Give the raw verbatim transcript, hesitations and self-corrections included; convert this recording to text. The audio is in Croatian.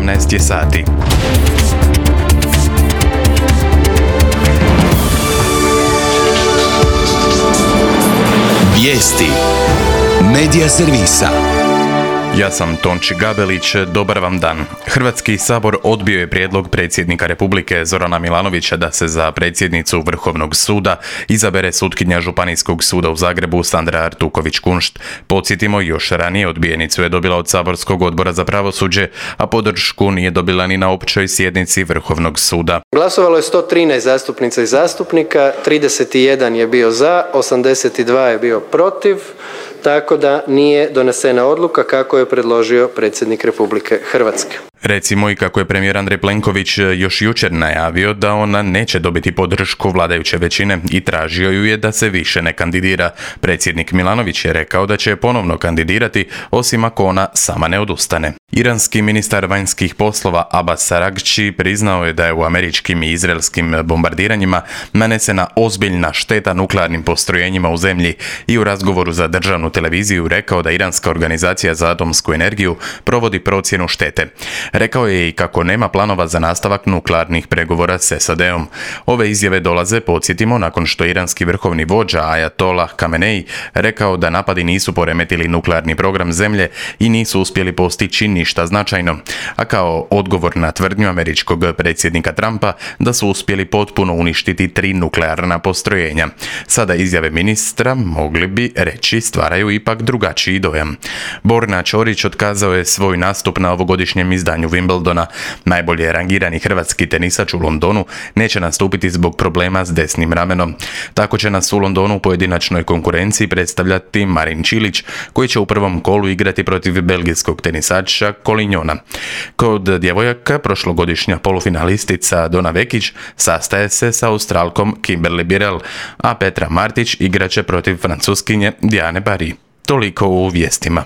osamnaest je sati. Vijesti Medija servisa. Ja sam Tonči Gabelić, dobar vam dan. Hrvatski sabor odbio je prijedlog predsjednika Republike Zorana Milanovića da se za predsjednicu Vrhovnog suda izabere sutkinja Županijskog suda u Zagrebu Sandra Artuković-Kunšt. Podsjetimo, još ranije odbijenicu je dobila od saborskog odbora za pravosuđe, a podršku nije dobila ni na općoj sjednici Vrhovnog suda. Glasovalo je sto trinaest zastupnica i zastupnika, trideset jedan je bio za, osamdeset dva je bio protiv, tako da nije donesena odluka kako je predložio predsjednik Republike Hrvatske. Recimo i kako je premijer Andrej Plenković još jučer najavio da ona neće dobiti podršku vladajuće većine i tražio ju je da se više ne kandidira. Predsjednik Milanović je rekao da će ponovno kandidirati, osim ako ona sama ne odustane. Iranski ministar vanjskih poslova Abbas Araghchi priznao je da je u američkim i izraelskim bombardiranjima nanesena ozbiljna šteta nuklearnim postrojenjima u zemlji i u razgovoru za državnu televiziju rekao da Iranska organizacija za atomsku energiju provodi procjenu štete. Rekao je i kako nema planova za nastavak nuklearnih pregovora s S A D-om. Ove izjave dolaze, podsjetimo, nakon što iranski vrhovni vođa Ajatollah Khamenei rekao da napadi nisu poremetili nuklearni program zemlje i nisu uspjeli postići ništa značajno, a kao odgovor na tvrdnju američkog predsjednika Trumpa da su uspjeli potpuno uništiti tri nuklearna postrojenja. Sada izjave ministra, mogli bi reći, stvaraju ipak drugačiji dojam. Borna Ćorić otkazao je svoj nastup na ovogodišnjem izdanju Wimbledona. Najbolje rangirani hrvatski tenisač u Londonu neće nastupiti zbog problema s desnim ramenom. Tako će nas u Londonu u pojedinačnoj konkurenciji predstavljati Marin Čilić, koji će u prvom kolu igrati protiv belgijskog tenisača Kolinjona. Kod djevojaka prošlogodišnja polufinalistica Dona Vekić sastaje se sa Australkom Kimberly Birrell, a Petra Martić igraće protiv Francuskinje Diane Paris. Toliko u vijestima.